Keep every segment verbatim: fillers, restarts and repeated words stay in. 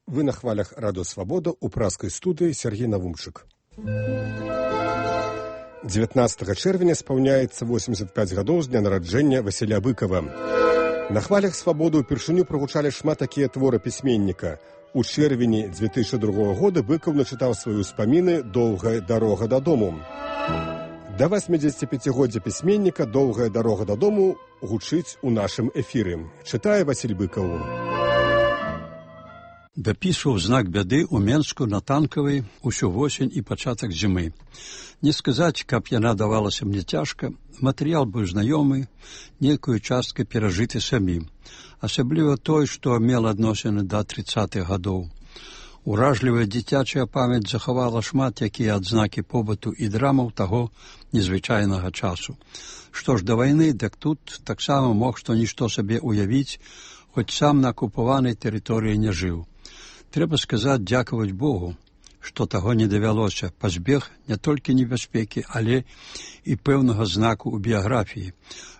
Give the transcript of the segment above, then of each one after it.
Вы на хвалях Радио Свобода у праскай студыі Сергей Навумчык. дзевятнаццатага чэрвеня спаўняецца восемьдесят пять гадоў з дня нараджэння Васіля Быкова. На хвалях Свабоды ўпершыню прагучалі шмат такія творы пісьменніка. У чэрвені две тысячи другога года Быкаў начытаў свае ўспаміны «Доўгая дарога дадому». Да восьмидзесятипяцігоддзя пісьменніка «Доўгая дарога дадому» гучыць у нашым эфіры. Чытае Васіль Быкаў. Дапісваў знак бяды ў Менску на Танкавай усю восень і пачатак зімы. Не сказаць, каб яна давалася мне цяжка, матэрыял быў знаёмы, нейкую часткай перажыты самім. Асабліва той, што мела адносіны да трыццатых гадоў. Уражлівая дзіцячая памяць захавала шмат якія адзнакі побыту і драмаў таго незвычайнага часу. Што ж да вайны, дык тут таксама мог што-нішто сабе уявіць, хоць сам на акупаванай тэрыторыі не жыў. Трэба сказаць, дзякаваць Богу, што таго не давялося, пазбег не толькі небяспекі, але і пэўнага знаку ў біяграфіі.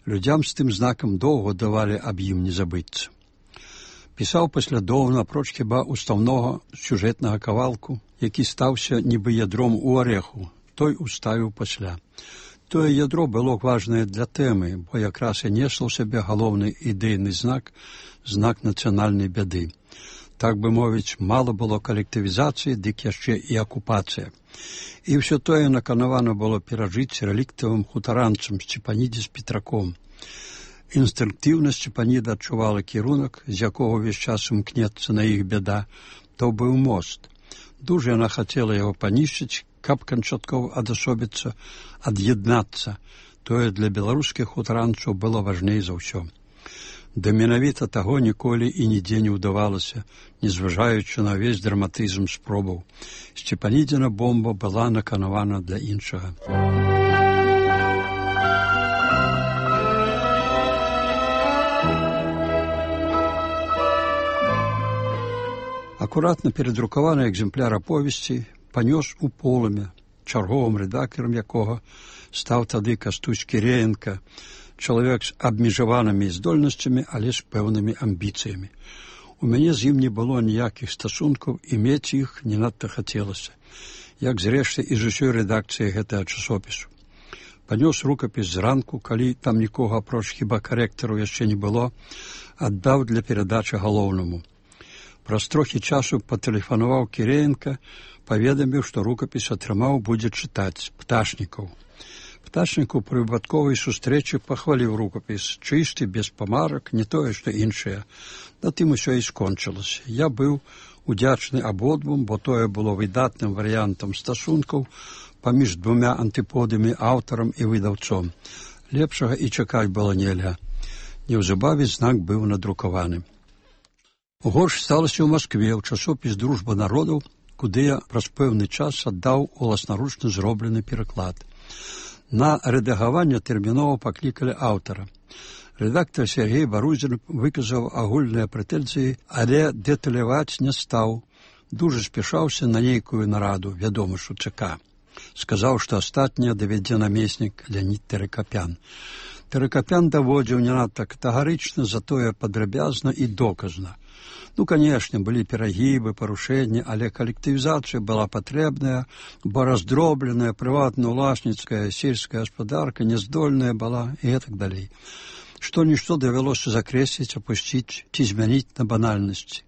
Людзям з тым знакам доўга давалі аб ім не забыцца. Пісаў паслядоўна, апроч хіба устаўнога сюжэтнага кавалку, які стаўся нібы ядром у арэху, той уставіў пасля. Тое ядро было важнае для тэмы, бо якраз і несла ў сябе галоўны ідэйны знак, знак нацыянальнай бяды. Так бы мовіць, мала было калектывізацыі, дык яшчэ і акупацыя. І ўсё тое наканавана было перажыць рэліктавым хутаранцам Сцепаніде з Петраком. Інстынктыўна Сцепаніда адчувала кірунак, з якога ўвесь час імкнецца на іх бяда, то быў мост. Дужа яна хацела яго панішчыць, каб канчаткова адасобіцца, ад'яднацца. Тое для беларускіх хутаранцаў было важней за ўсё. Да менавіта таго ніколі і нідзе не ўдавалася, незважаючы на ўвесь драматызм спробаў. Сцепанідзіна бомба была наканавана для іншага. Акуратна перадрукаваны экземпляр аповесці панёс у полымя, чарговым рэдактарам якога стаў тады Кастусь Кіреенка, чалавек з абмежаванымі здольнасцямі, але з пэўнымі амбіцыямі. У мяне з ім не было ніякіх стасункаў, і мець іх не надта хацелася, як зрэшты і з усёй рэдакцыі гэтага часопісу. Панёс рукапіс зранку, калі там нікога апроч хіба карэктару яшчэ не было, аддаў для перадачы галоўнаму. Праз трохі часу патэлефанаваў Кіреенка, паведаміў, што рукапіс атрымаў будзе чытаць Пташнікаў. Пташнікаў пры выпадковай сустрэчы пахваліў рукапіс, чысты, без памарак, не тое, што іншае. На тым усё і скончылася. Я быў удзячны абодвум, бо тое было выдатным варыянтам стасункаў паміж двумя антыподамі, аўтарам і выдаўцом. Лепшага і чакаць было нельга. Неўзабаве знак быў надрукаваны. Горш сталася ў Маскве, ў часопіс «Дружба народаў», куды я праз пэўны час аддаў уласнаручна зроблены пераклад. На рэдагаванне тэрмінова паклікалі аўтара. Рэдактар Сергей Барузін выказаў агульныя прэтэнзіі, але дэталяваць не стаў. Дужа спяшаўся на нейкую нараду, вядома ж у ЦК. Сказаў, што астатняе давядзе намеснік Леонід Тэракапян. Тэракапян даводзіў не надта катэгарычна, затое падрабязна і доказна. Ну, канешне, былі перагібы, парушэнні, але калектывізацыя была патрэбная, бо раздробленая, прыватна-уласніцкая, сельская гаспадарка няздольная была і гэтак далей. Што-нішто давялося закрэсліць, апусціць ці змяніць на банальнасці.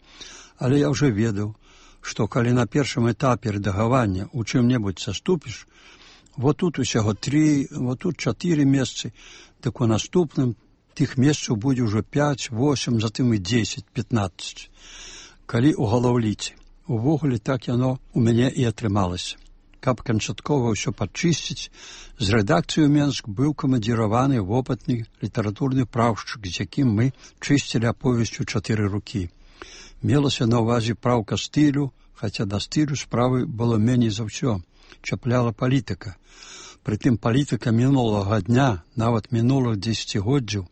Але я ўжо ведаў, што калі на першым этапе рэдагавання у чым-небудзь саступіш, вот тут усяго тры, вот тут чатыры месцы, так у наступным тых месцаў будзе ўжо пяць, восем, затым і дзесяць, пятнаццаць. Калі ў галаўліце. Увогуле так яно у мяне і атрымалася. Каб канчаткова ўсё падчысціць, з рэдакцыі ў Менск быў камандзіраваны вопытны літаратурны праўшчык, з якім мы чысцілі аповесць у чатыры рукі. Мелася на ўвазе праўка стылю, хаця да стылю справы было меней за ўсё. Чапляла палітыка. Прытым палітыка мінулага дня, нават мінулых дзесяцігоддзяў,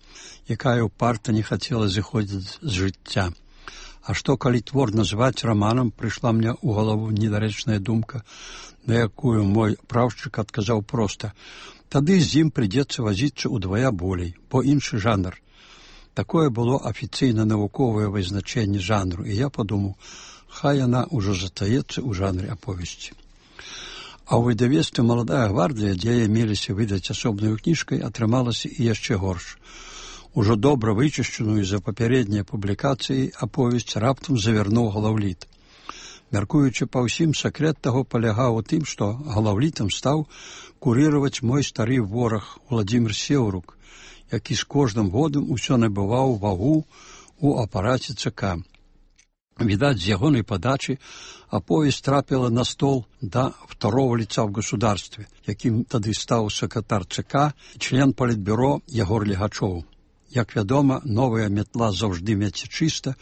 якая ўпарта не хацела зыходзіць з жыцця. А што, калі твор назваць раманам, прыйшла мне ў галаву недарэчная думка, на якую мой праўшчык адказаў проста. Тады з ім прыйдзецца вазіцца ўдвая болей, бо іншы жанр. Такое было афіцыйна навуковае вызначэнне жанру, і я падумаў, няхай яна ўжо застаецца ў жанры аповесці. А ў выдавецтве «Маладая гвардыя», дзе меліся выдаць асобнаю кніжкай, атрымалася і яшчэ горш. Ужо добра вычышчаную за папярэднія публікацыі аповесць раптам завярнуў Галаўліт. Мяркуючы па ўсім, сакрэт таго палягаў у тым, што Галаўлітам стаў курыраваць мой стары вораг Уладзімір Сеўрук, які з кожным годам усё набываў вагу ў апараце ЦК. Відаць, з ягонай падачы аповесць трапіла на стол да второго лица в государстве, якім тады стаў сакратар ЦК і член палітбюро Ягор Легачоў. Як вядома, новая метла заўжды меце чыста,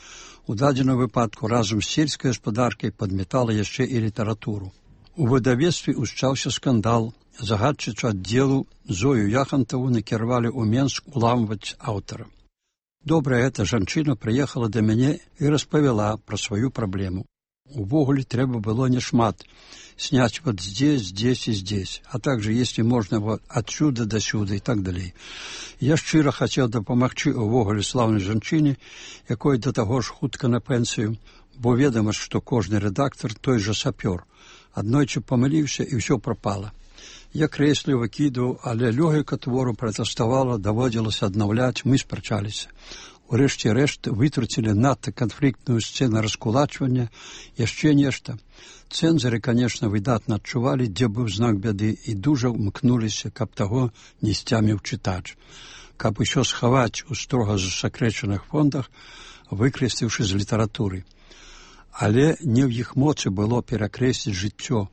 у дадзеным выпадку разам з сельскай гаспадаркай падметала яшчэ і літаратуру. У выдавецтве ўсчаўся скандал. Загадчыцу аддзелу Зою Яхантаву накіравалі ў Менск уламваць аўтара. Добрая эта жанчына прыехала да мяне і распавяла пра сваю праблему. Увогуле трэба было няшмат. Снять вот здесь, здесь и здесь, а также, если можно, вот отсюда до сюда и так далее. Я шчыра хацеў дапамагчы увогуле слаўнай жанчыне, якой да таго ж хутка на пенсію, бо ведама, што кожны рэдактор той жа сапёр. Аднойчы памыліўся і ўсё прапала. Я крэсліў, выкідаў, але лёгіка твору пратэставала, даводзілася аднаўляць, мы спрачаліся. Урэшце рэшт вытруцілі надта канфліктную сцэну раскулачвання, яшчэ нешта. Цэнзары, конечно, выдатна адчувалі, дзе быў знак бяды, і дужа ўмкнуліся, каб таго не сцяміў чытач. Каб усё схаваць у строга засакрэчаных фондах, выкрэсліўшы з літаратуры. Але не ў іх моцы было перакрэсліць жыццё,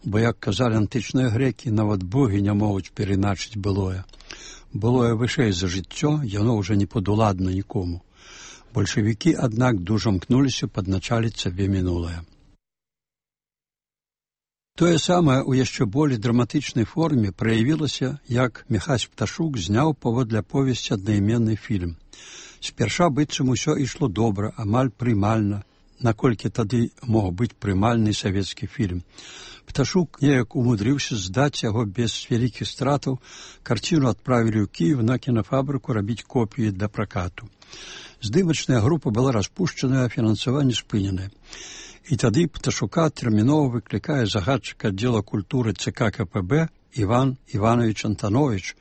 бо, як казалі антычныя грэкі, нават богі не могуць перайначыць былое. Былое вышэй за жыццё, яно ўжо не падуладна нікому. Бальшавікі, аднак, дужа мкнуліся падначаліць сабе мінулае. Тое самае ў яшчэ болей драматычнай форме праявілася, як Міхась Пташук зняў паводле аповесці аднайменны фільм. Спярша быццам усё ішло добра, амаль прымальна, наколькі тады мог быць прымальны савецкі фільм. Пташук неяк умудрыўся здаць яго без вялікіх стратаў, карціну адправілі ў Кіев на кінафабрыку рабіць копіі для пракату. Здымачная група была распушчаная, а фінансаванне спыненае. І тады Пташука тэрмінова выклікае загадчык аддзела культуры ЦК КПБ Іван Іванович Антанович,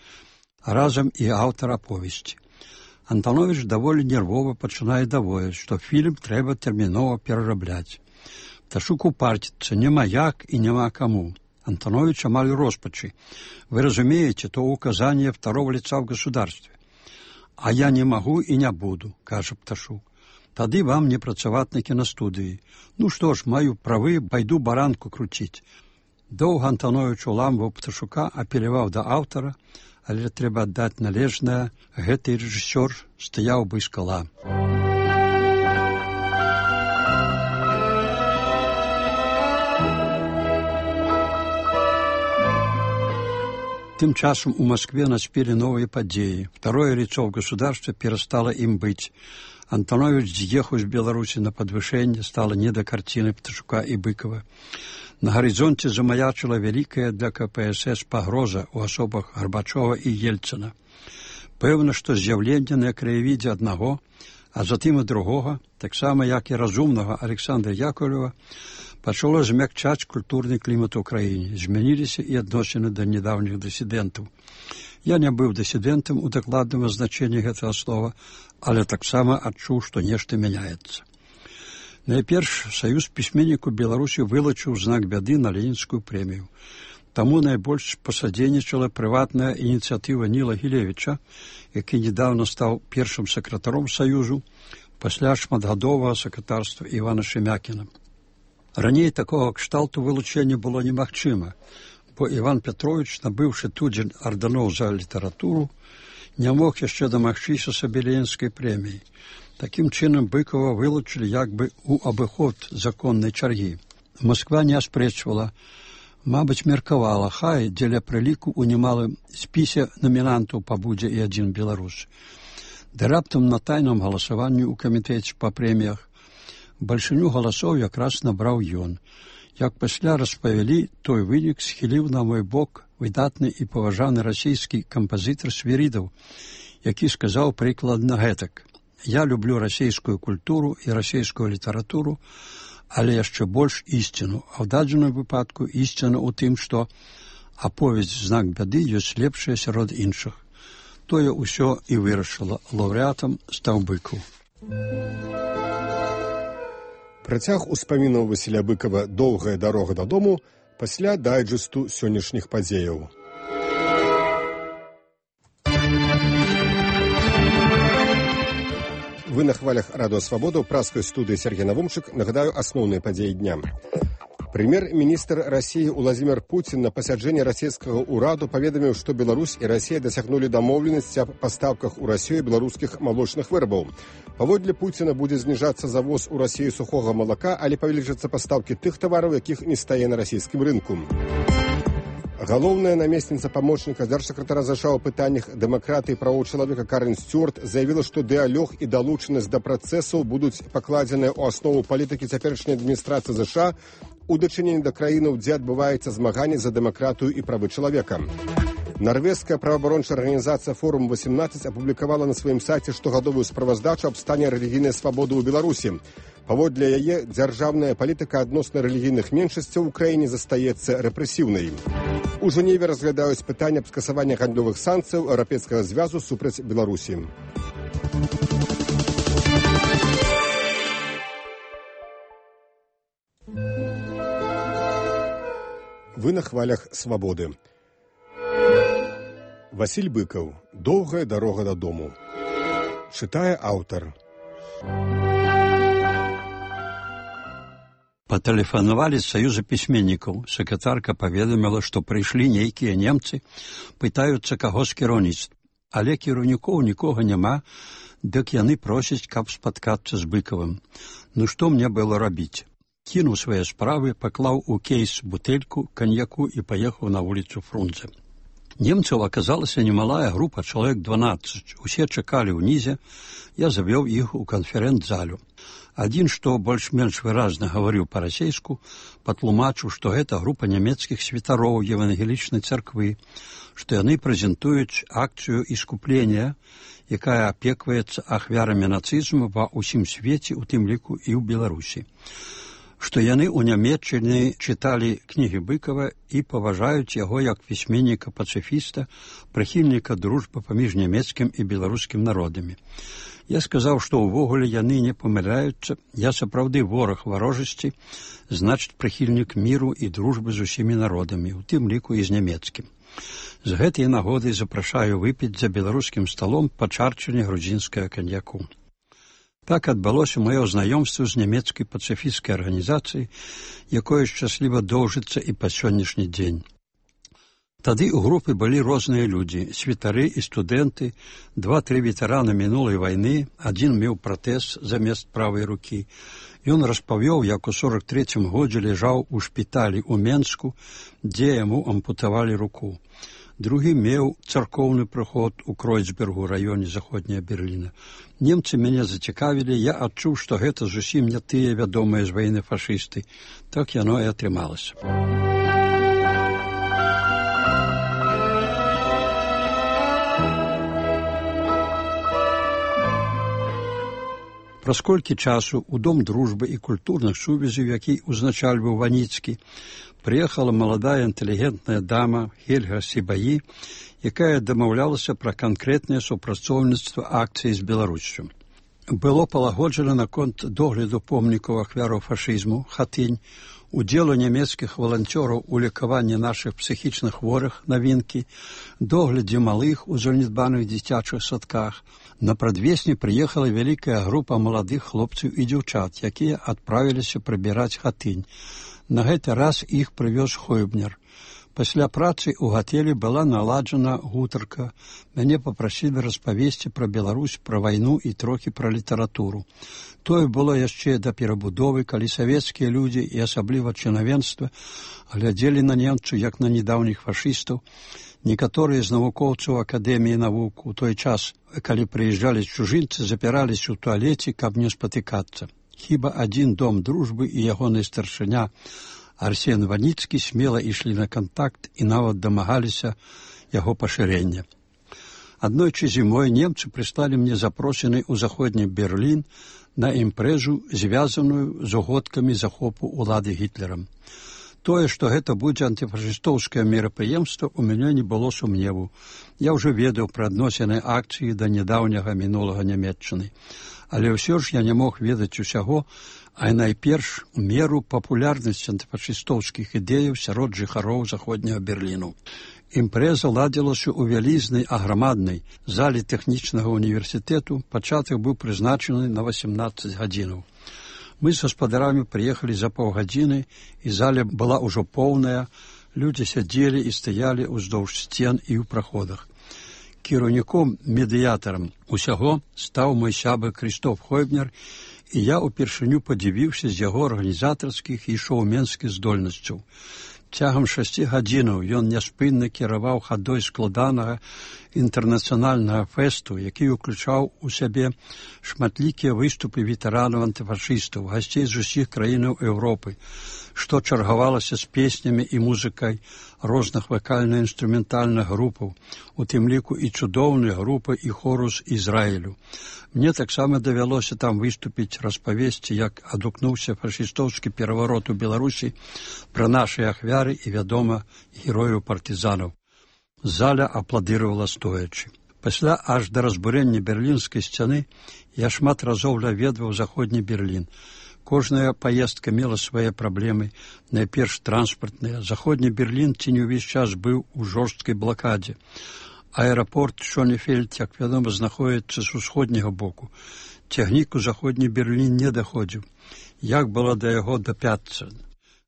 а разам і аўтар аповесці. Антанович даволі нервова пачынае даводзіць, што фільм трэба тэрмінова перарабляць. Пташук упарціцца, няма як і няма каму. Антанович амаль у роспачы. Вы разумеете, то указание второго лица в государстве. А я не могу и не буду, кажа Пташук. Тады вам не працаваць на кінастудыі. Ну што ж, маю правы, пайду баранку круціць. Доўга Антанович уламваў Пташука, апеляваў да аўтара, але трэба аддаць належнае, гэты рэжысёр стаяў бы скала. Тым часам у Москве наспелі новыя падзеі. Второе лицо в государстве перестало им быть. Антанович з'ехаў з Беларусі на падвышэнне, стала не да карціны Пташука і Быкова. На гарызонце замаячыла вялікая для КПСС пагроза ў асобах Гарбачова і Ельцына. Пэўна, што з'яўленне на краявідзе аднаго, а затым і другога, таксама як і разумнага Александра Яковлева, пачало змякчаць культурны клімат у краіне. Змяніліся і адносіны да нядаўніх дысідэнтаў. Я не быў дысідэнтам у дакладным азначэнні гэтага слова, але таксама адчуў, што нешта мяняецца. Найперш, Саюз пісьменнікаў Беларусі вылучыў знак бяды на Ленінскую прэмію. Таму найбольш пасадзейнічала прыватная ініцыятыва Ніла Гілевіча, які недавно стаў першым сакратаром Саюзу пасля шматгадовага сакратарства Івана Шемякіна. Раней такога кшталту вылучэння было немагчыма, бо Іван Петрович, набыўшы тудзень ардэноў за літаратуру, не мог яшчэ дамагчыся сабе Ленінскай прэміі. Такім чынам Быкова вылучылі як бы ў абыход законнай чаргі. Москва не аспрэчвала, мабыць, меркавала, хай дзеля прыліку ў немалым спісе намінантаў пабудзе і адзін беларус. Да раптам на тайным галасаванні ў камітэце па прэміях бальшыню галасоў якраз набраў ён. Як пасля распавялі, той вынік схіліў на мой бок выдатны і паважаны расійскі кампазітар Свірідаў, які сказаў прыкладна гэтак: «Я люблю расійскую культуру і расійскую літаратуру, але яшчэ больш ісціну. А ў дадзеным выпадку ісціна ў тым, што аповесць «Знак бяды» ёсць лепшая сярод іншых. Тое ўсё і вырашыла. Лаўрэатам стаў Быкаў. Працяг успамінаў Васіля Быкава «Доўгая дарога дадому» пасля дайджэсту сённяшніх падзеяў. Вы на хвалях Радио Свобода в праской студии Сергей Навумчик. Нагадаю основные подеи дня. Премьер-министр России Владимир Путин на пасяджэнні расійскага ўраду паведаміў, што Беларусь і Расія дасягнулі дамоўленасці аб пастаўках у Расію беларускіх малочных вырабаў. Паводле Путина будзе зніжацца завоз у Расію сухога малака, але павялічацца пастаўкі тых тавараў, якіх не стае на расійскім рынку. Галоўная намесніца памочніка дзяржсакратара ЗША ў пытаннях дэмакратыі і правоў чалавека Карен Стюарт заявіла, што дыялог і далучанасць да працэсаў будуць пакладзеныя ў аснову палітыкі цяперашняй адміністрацыі ЗША у дачыненні да краінаў, дзе адбываецца змаганне за дэмакратыю і правы чалавека. Нарвежская праваабарончая арганізацыя «Форум восемнадцать» апублікавала на сваім сайце штогадовую справаздачу аб стане рэлігійнай свабоды ў Беларусі. Паводле яе, дзяржаўная палітыка адносна рэлігійных меншасцяў у краіне застаецца рэпрэсіўнай. У Жэневе разглядаюць пытанне аб скасаванні гандлёвых санкцыяў Еўрапейскага звязу супраць Беларусі. Вы на хвалях свабоды. Васіль Быкаў. «Доўгая дарога дадому». Чытае аўтар. Патэлефанавалі з Саюза пісьменнікаў. Сакратарка паведаміла, што прыйшлі нейкія немцы, пытаюцца каго з кіраўніцтва. Але кіраўнікоў нікога няма, дык яны просяць, каб спаткацца з Быкавым. Ну што мне было рабіць? Кінуў свае справы, паклаў у кейс бутэльку каньяку і паехаў на вуліцу Фрунзе. Немцаў аказалася немалая група, чалавек дванаццаць. Усе чакалі ўнізе, я завёў іх у канферэнц-залю. Адзін, што больш-менш выразна гаварыў па-расейску, патлумачыў, што гэта група нямецкіх святароў евангелічнай царквы, што яны прэзентуюць акцыю іскуплення, якая апекваецца ахвярамі нацызму ва ўсім свеце, у тым ліку і ў Беларусі. Што яны ў Нямецчыне чыталі кнігі Быкава і паважаюць яго як пісьменніка-пацыфіста, прыхільніка дружбы паміж нямецкім і беларускім народамі. Я сказаў, што ўвогуле яны не памыляюцца, я сапраўды вораг варожасці, значыць прыхільнік міру і дружбы з усімі народамі, у тым ліку і з нямецкім. З гэтай нагоды запрашаю выпіць за беларускім сталом па чарчыне грузінскага каньяку. Так адбылося маё знаёмства з нямецкай пацыфісцкай арганізацыяй, якое шчасліва доўжыцца і па сённяшні дзень. Тады ў групе былі розныя людзі, святары і студэнты, два-тры ветэраны мінулай вайны, адзін меў пратэз замест правай рукі. Ён распавёў, як у сорак трэцім годзе ляжаў у шпіталі ў Менску, дзе яму ампутавалі руку. Другі меў царкоўны прыход у Кройцбергу, раёне заходняя Берліна. Немцы мяне зацікавілі, я адчуў, што гэта зусім не тыя вядомыя з вайны фашысты. Так яно і атрымалася. Праз колькі часу ў Дом дружбы і культурных сувязяў, які узначальваў Ваніцкі, прыехала маладая інтэлігентная дама Хельга Сібаі, якая дамаўлялася пра канкрэтнае супрацоўніцтва акцыі з Беларуссю. Было палагоджана наконт догляду помнікаў ахвяраў фашызму, хатынь, удзелу нямецкіх валанцёраў у лекаванні нашых псіхічных хворых, навінкі, доглядзе малых у занядбаных дзіцячых садках. На прадвесні прыехала вялікая група маладых хлопцаў і дзяўчат, якія адправіліся прыбіраць хатынь. На гэты раз іх прывёз Хойбнер. Пасля працы ў гатэлі была наладжана гутарка. Мяне папрасілі распавесці пра Беларусь, пра вайну і трохі пра літаратуру. Тое было яшчэ да перабудовы, калі савецкія людзі і асабліва чынавенства глядзелі на немцаў як на недаўніх фашыстаў. Некаторыя з навукоўцаў Акадэміі навук у той час, калі прыязджалі чужынцы, запіраліся ў туалеце, каб не спатыкацца. Хіба адзін Дом дружбы і ягоны старшыня Арсен Ваніцкі смела ішлі на кантакт і нават дамагаліся яго пашырення. Аднойчы зімой немцы прыслалі мне запрошаны ў заходні Берлін на імпрэзу, звязаную з угодкамі захопу ўлады Гітлерам. Тое, што гэта будзе антыфашыстоўскае мерапрыемства, у мяне не было сумневу. Я ўжо ведаў пра адносіны акцыі да нядаўняга мінулага Нямецчыны. Але ўсё ж я не мог ведаць усяго, а найперш меру папулярнасці антыфашыстоўскіх ідэяў сярод жыхароў заходняга Берліну. Імпрэза ладзілася ў вялізнай аграмаднай зале тэхнічнага універсітэту. Пачатак быў прызначаны на васемнаццаць гадзінаў. Мы з гаспадарамі прыехалі за паўгадзіны, і зала была ўжо поўная, людзі сядзелі і стаялі ўздоўж сцен і ў праходах. Кіраўніком, медыятарам усяго стаў мой сябар Крыштоф Хойбнер, і я ўпершыню падзівіўся з яго арганізатарскіх і шоуменскіх здольнасцяў. Цягам шасці гадзінаў ён няспынна кіраваў хадой складанага інтэрнацыянальнага фэсту, які ўключаў у сябе шматлікія выступы ветэранаў антыфашыстаў, гасцей з усіх краінаў Еўропы, што чаргавалася з песнямі і музыкай розных вакальна-інструментальных групаў, у тым ліку і цудоўныя групы і хору з Ізраілю. Мне таксама давялося там выступіць, распавесці, як адгукнуўся фашыстоўскі пераварот у Беларусі, пра нашы ахвяры і, вядома, герояў партызанаў. Зала апладыравала стоячы. Пасля аж да разбурэння берлінскай сцяны я шмат разоў наведваў заходні Берлін. Кожная паездка мела свае праблемы, найперш транспартныя. Заходні Берлін ці не ўвесь час быў у жорсткай блакадзе. Аэрапорт Шонефельд, як вядома, знаходзіцца з усходняга боку. Цягнік у заходні Берлін не даходзіў. Як было да яго дапяцца?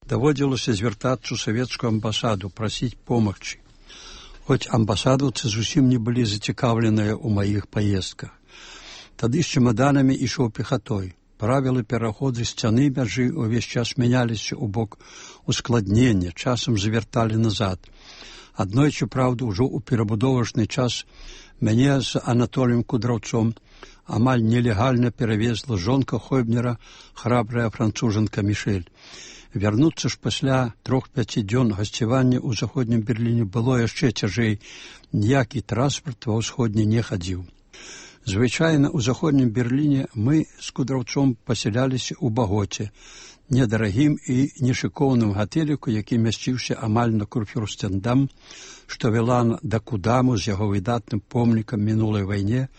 Даводзілася звяртацца ў савецкую амбасаду, прасіць помагчы. Хоць амбасадаўцы зусім не былі зацікаўленыя ў маіх паездках. Тады з чемаданамі ішоў пехатой. Правілы пераходу сцяны мяжы ўвесь час мяняліся ў бок ускладнення, часам завярталі назад. Аднойчы, праўда, ужо ў перабудовачны час мяне з Анатоліем Кудраўцом амаль нелегальна перавезла жонка Хойбнера, храбрая францужанка Мішэль. Вярнуцца ж пасля трох-пяці дзён гасцявання ў заходнім Берліне было яшчэ цяжэй. Ніякі транспарт ва ўсходні не хадзіў. Звычайна ў заходнім Берліне мы з Кудраўцом пасяляліся ў Багоце, недарагім і нешыкоўным гатэліку, які мясціўся амаль на Курфюрстендам, што вела да Кудаму з яго выдатным помнікам мінулай вайне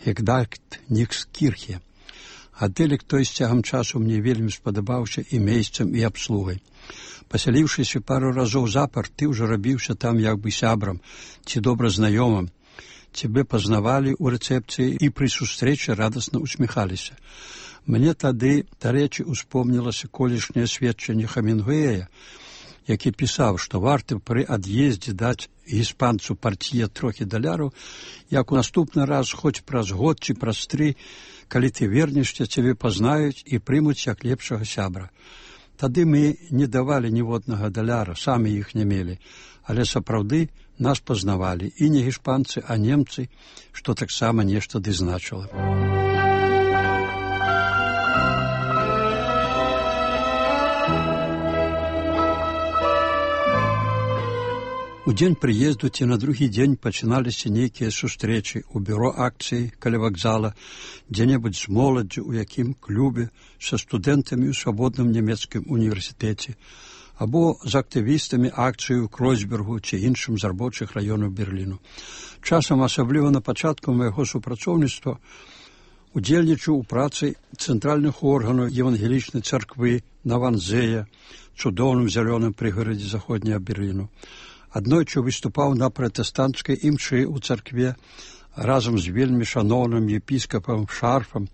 Гегдальт Нікскірхе. Гатэлік той з цягам часу мне вельмі спадабаўся і месцам, і абслугай. Пасяліўшыся пару разоў запар, ты ўжо рабіўся там як бы сябрам ці добра знаёмым. Цябе пазнавалі ў рэцэпцыі і пры сустрэчы радасна усміхаліся. Мне тады, дарэчы, успомнілася колішняе сведчанне Хемінгуэя, які пісаў, што варта пры ад'ездзе даць іспанцу партіе трохі даляраў, як у наступны раз, хоць праз год ці праз тры, калі ты вернешся, цябе пазнаюць і прымуць як лепшага сябра. Тады мы не давалі ніводнага даляра, самі іх не мелі, але сапраўды нас пазнавалі, і не іспанцы, а немцы, што таксама нешта ды значыла. У дзень прыезду ці на другі дзень пачыналіся нейкія сустрэчы ў бюро акцыі каля вакзала, дзе-небудзь з моладдзю, у якім клубе, са студэнтамі ў свабодным нямецкім універсітэце, або з актывістамі акцыі ў Кройцбергу ці іншым з рабочых раёнаў Берліну. Часам, асабліва на пачатку майго супрацоўніцтва, удзельнічаў у працы цэнтральных органаў евангелічнай царквы на Ванзея, цудоўным зялёным прыгарадзе заходняга Берліну. Аднойчы выступаў на пратэстанцкай імшы ў царкве разам з вельмі шаноўным епіскапам Шарфам,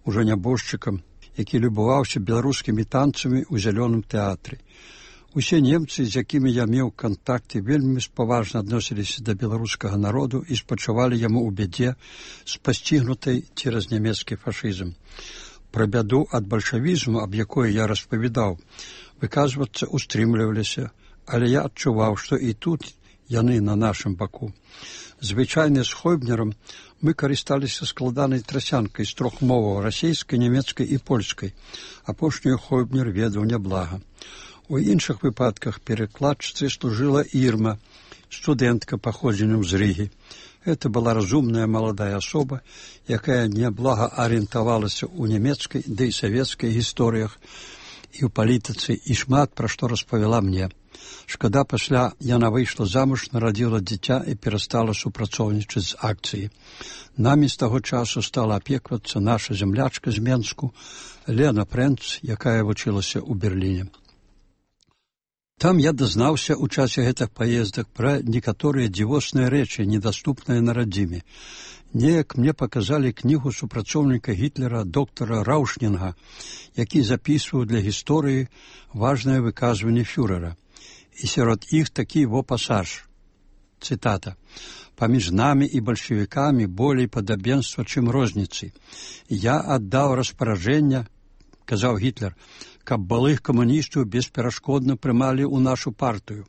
ужо нябожчыкам, які любаваўся беларускімі танцамі ў зялёным тэатры. Усе немцы, з якімі я меў кантакты, вельмі спаважна адносіліся да беларускага народу і спачувалі яму ў бядзе, спасцігнутай цераз нямецкі фашызм. Пра бяду ад бальшавізму, аб якой я распавядаў, выказвацца устрымліваліся, але я адчуваў, што і тут яны на нашым баку. Звычайна з Хойбнерам мы карысталіся складанай трасянкай з трох моваў – расейскай, нямецкай і польскай. Апошнюю Хойбнер ведаў няблага. У іншых выпадках перакладчыцай служыла Ірма, студэнтка паходзеннем з Рыгі. Гэта была разумная маладая асоба, якая няблага арыентавалася ў нямецкай ды і савецкай гісторыях і ў палітыцы, і шмат пра што распавяла мне. Шкада, пасля яна выйшла замуж, нарадзіла дзіця і перастала супрацоўнічаць з акцыяй. Намі з таго часу стала апеквацца наша зямлячка з Менску, Лена Прэнц, якая вучылася ў Берліне. Там я дазнаўся ў часе гэтых паездак пра некаторыя дзівосныя рэчы, недаступныя на радзіме. Неяк мне паказалі кнігу супрацоўніка Гітлера доктара Раўшнінга, які запісваў для гісторыі важнае выказванне фюрэра. І сярод іх такі во пасаж. Цытата. «Паміж намі і бальшавікамі болей падабенства, чым розніцы. Я аддаў распараджэння, — казаў Гітлер, — каб былых камуністаў бесперашкодна прымалі ў нашу партыю».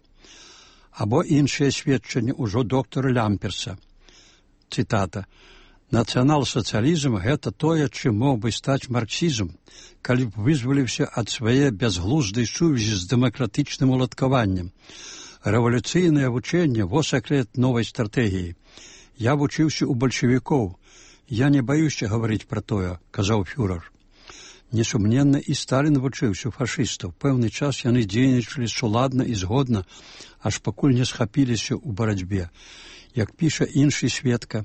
Або іншыя сведчанні ўжо доктара Лямперса. Цытата. «Нацыянал-сацыялізм — гэта тое, чым мог бы стаць марксізм, калі б вызваліўся ад свае бязглуздай сувязі з дэмакратычным уладкаваннем. Рэвалюцыйнае вучэнне — во сакрэт новай стратэгіі. Я вучыўся ў бальшавікоў. Я не баюся гаварыць пра тое», — казаў фюрэр. Несумненна, і Сталін вучыўся фашыстаў. Пэўны час яны дзейнічалі суладна і згодна, аж пакуль не схапіліся ў барацьбе. Як піша іншы сведка,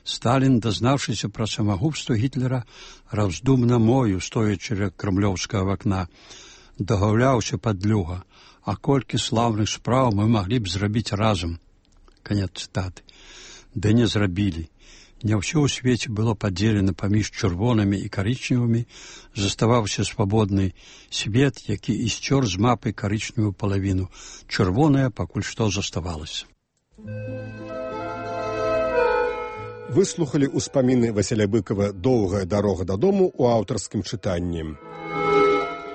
Сталін, дазнаўшыся пра самагубства Гітлера, раздумна мою, стоячы ля крамлёўскага вакна, дагаўляўся падлюга, а колькі слаўных спраў мы маглі б зрабіць разам. Канец цытаты. Ды не зрабілі. Не ўсё ў свеце было падзелена паміж чырвонымі і карычневымі, заставаўся свабодны свет, які і сцёр з мапы карычневую палавіну. Чырвоная пакуль што заставалася. Выслухалі ўспаміны Васіля Быкава «Доўгая дарога дадому» у аўтарскім чытанні.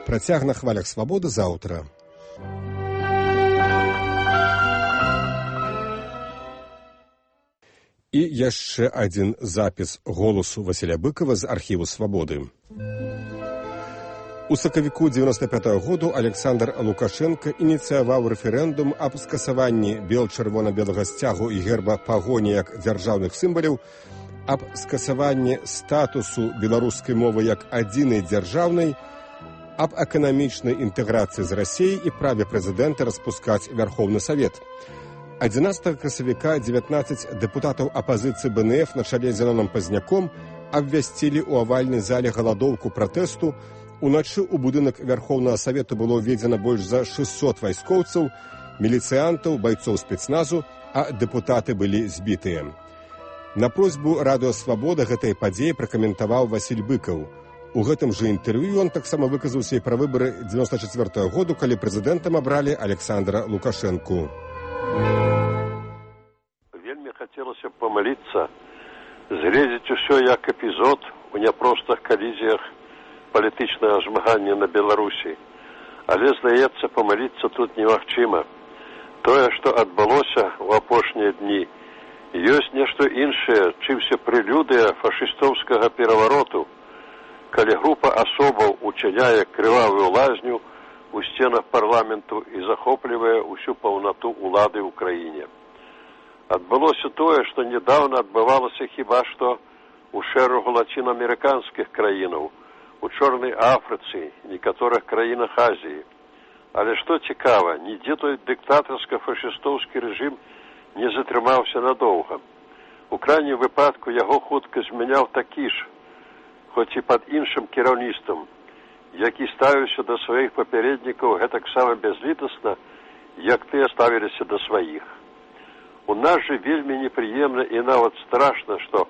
Працяг на хвалях свабоды заўтра. І яшчэ адзін запіс голасу Васіля Быкава з архіву «Свабоды». У сакавіку дзевяноста пятага году Александр Лукашенко ініцыяваў рэферэндум аб скасаванні бел-чырвона-белага сцягу і герба пагоні як дзяржаўных сімваляў, аб скасаванні статусу беларускай мовы як адзінай дзяржаўнай, аб эканамічнай інтэграцыі з Расіяй і праве прэзідэнта распускаць Вярхоўны Савет. адзінаццатага красавіка дзевятнаццаць дэпутатаў апазіцыі бэ эн эф на чале з Зеноном Пазняком абвясцілі ў авальнай зале галадоўку пратэсту. Уначы ў будынак Вярхоўнага Савету было ўведзена больш за шэсцьсот вайскоўцаў, міліцыянтаў, байцоў спецназу, а дэпутаты былі збітыя. На просьбу радыё «Свабода» гэтай падзеі пракаментаваў Васіль Быкаў. У гэтым жа інтэрв'ю ён таксама выказаўся і пра выбары дзевяноста чацвёртага году, калі прэзідэнтам абралі Александра Лукашэнку. Вельмі хацелася б памыліцца, згледзець усё як эпізод у няпростых калізіях палітычнага змагання на Беларусі. Але, здаецца, памыліцца тут немагчыма. Тое, што адбылося ў апошнія дні, ёсць нешта іншае, чымся прэлюдыя фашыстоўскага перавароту, калі група асобаў учыняе крывавую лазню у сценах парламенту і захоплівае ўсю паўнату ўлады ў краіне. Адбылося тое, што недаўна адбывалася хіба што ў шэрагу лацінаамерыканскіх краінаў, у Чорнай Афрыцы, некаторых краінах Азіі. Але што цікава, нідзе той дыктатарска-фашыстоўскі рэжым не затрымаўся надоўга. У крайнім выпадку яго хутка змяняў такі ж, хоць і пад іншым кіраўніцтвам, які ставіўся да сваіх папярэднікаў гэтаксама бязлітасна, як тыя ставіліся да сваіх. У нас жа вельмі непрыемна і нават страшна, што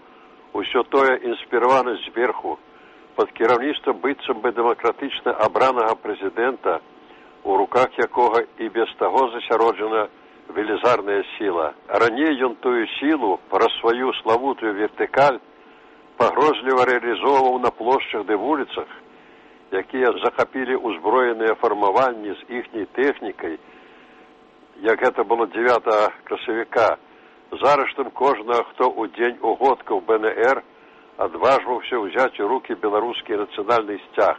ўсё тое інспіравана зверху, пад кіраўніцтвам быццам бы дэмакратычна абранага прэзідэнта, у руках якога і без таго засяроджана велізарная сіла. Раней ён тую сілу праз сваю славутую вертыкаль пагрозліва рэалізоўваў на плошчах ды вуліцах, якія захапілі ўзброеныя фармаванні з іхняй тэхнікай, як гэта было дзевятага красавіка, з арыштам кожнага, хто ў дзень угодкаў бэ эн эр адважваўся ўзяць у рукі беларускі нацыянальны сцяг.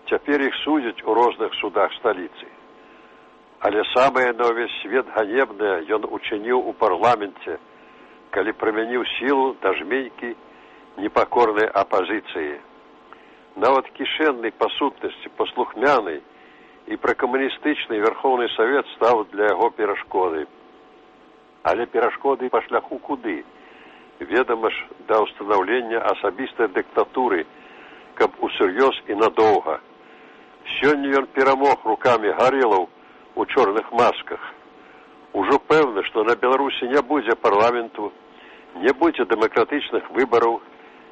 Цяпер іх судзяць у розных судах сталіцы. Але самае на ўвесь свет ганебнае ён учыніў у парламенце, калі прымяніў сілу да жмейкі непакорнай апазіцыі. Нават кішэнны па сутнасці, паслухмяны і пракамуністычны Верховны Савет стаў для яго перашкодай. Але перашкоды па шляху куды? Ведама ж, да ўстанаўлення асабістай дыктатуры, каб усур'ёз і надоўга. Сёння ён перамог рукамі гарэлаў у чорных масках. Ужо пэўна, што на Беларусі не будзе парламенту, не будзе дэмакратычных выбараў,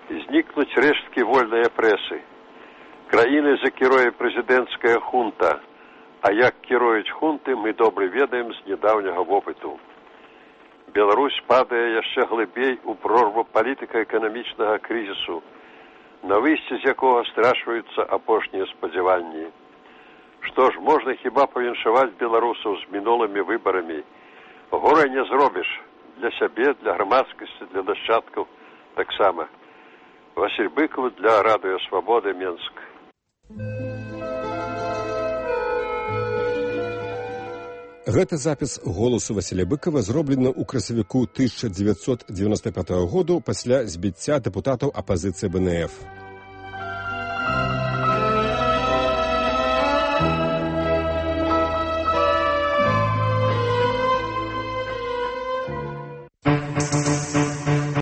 знікнуць рэшткі вольнай прэсы. Краінай закіруе прэзідэнцкая хунта, а як кіруюць хунты, мы добра ведаем з нядаўняга вопыту. Беларусь падае яшчэ глыбей у прорву палітыка-эканамічнага крызісу, на выйсці з якога страчваюцца апошнія спадзяванні. Што ж, можна хіба павіншаваць беларусаў з мінулымі выбарамі. Гора не зробіш для сябе, для грамадскасці, для нашчадкаў таксама. Васіль Быкаў для Радыё Свабоды, Менск. Гэты запіс голасу Васіля Быкава зроблены ў красавіку тысяча дзевяцьсот дзевяносто пятага году пасля збіцця дэпутатаў апазіцыі бэ эн эф.